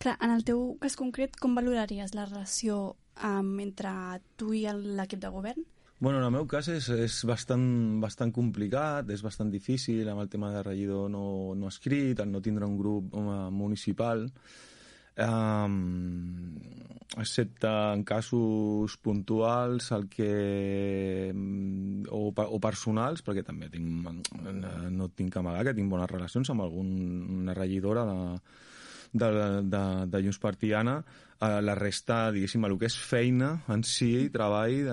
Clar, en el teu cas concret, com valoraries la relació entre tu i l'equip de govern? Bueno, en el meu cas és bastant complicat, és bastant difícil amb el tema de regidor no escrit, el no tindre un grup municipal, excepte en casos puntuals o personals, perquè també no tinc que amagar que tinc bones relacions amb alguna regidora de Junts per Tiana. La resta, diguéssim, el que és feina en si, treball,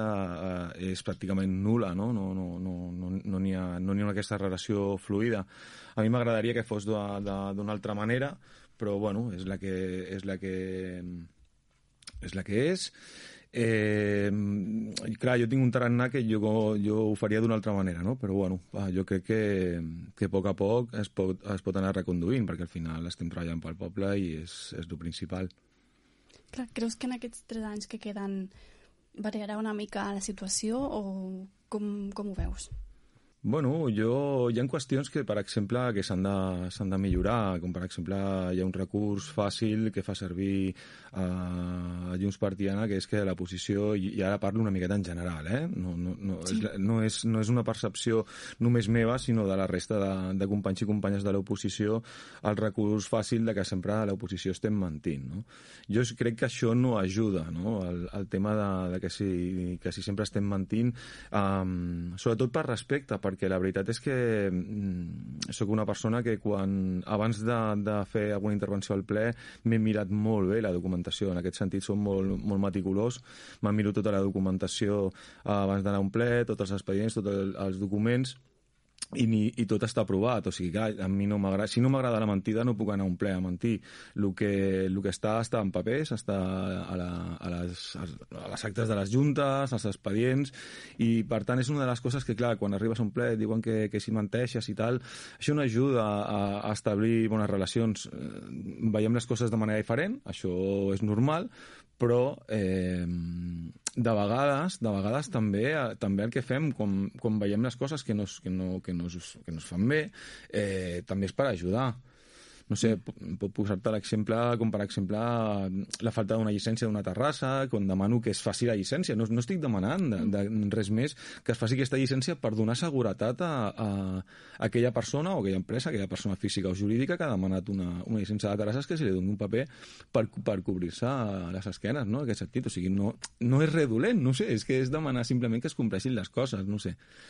és pràcticament nul·la, no n'hi ha aquesta relació fluida. A mi m'agradaria que fos d'una altra manera, però bueno, és la que és. Clar, jo tinc un tarannà que jo ho faria d'una altra manera, no? Però bueno, jo crec que a poc es pot anar reconduint, perquè al final estem treballant pel poble i és el principal. Clar, creus que en aquests 3 anys que queden variarà una mica la situació o com ho veus? Bueno, hi ha qüestions que, per exemple, que s'han de millorar, com per exemple hi ha un recurs fàcil que fa servir a Junts per Tiana, que és que la posició, i ara parlo una miqueta en general, sí. no és una percepció només meva, sinó de la resta de companys i companyes de l'oposició, el recurs fàcil de que sempre l'oposició estem mentint, no? Jo crec que això no ajuda, no? El tema de que si sempre estem mentint, sobretot per respecte, perquè la veritat és que sóc una persona que abans de fer alguna intervenció al ple m'he mirat molt bé la documentació, en aquest sentit soc molt meticulós, m'he mirat tota la documentació abans d'anar a un ple, tots els expedients, tots els documents, i tot està aprovat, o sigui, clar, a mi no m'agrada, si no m'agrada la mentida no puc anar a un ple a mentir. El que està en papers, està a les actes de les juntes, als expedients, i per tant és una de les coses que, clar, quan arribes a un ple et diuen que si menteixes i tal, això no ajuda a establir bones relacions. Veiem les coses de manera diferent, això és normal, però de vegades també el que fem, quan veiem les coses que no es fan bé, també és per ajudar. No sé, puc posar-te l'exemple com, per exemple, la falta d'una llicència d'una terrassa, quan demano que es faci la llicència. No estic demanant res més que es faci aquesta llicència per donar seguretat a aquella persona o aquella empresa, aquella persona física o jurídica que ha demanat una llicència de terrasses, que se li doni un paper per cobrir-se les esquenes, no? En aquest sentit. O sigui, no és res dolent, no sé, és que és demanar simplement que es compleixin les coses, no sé.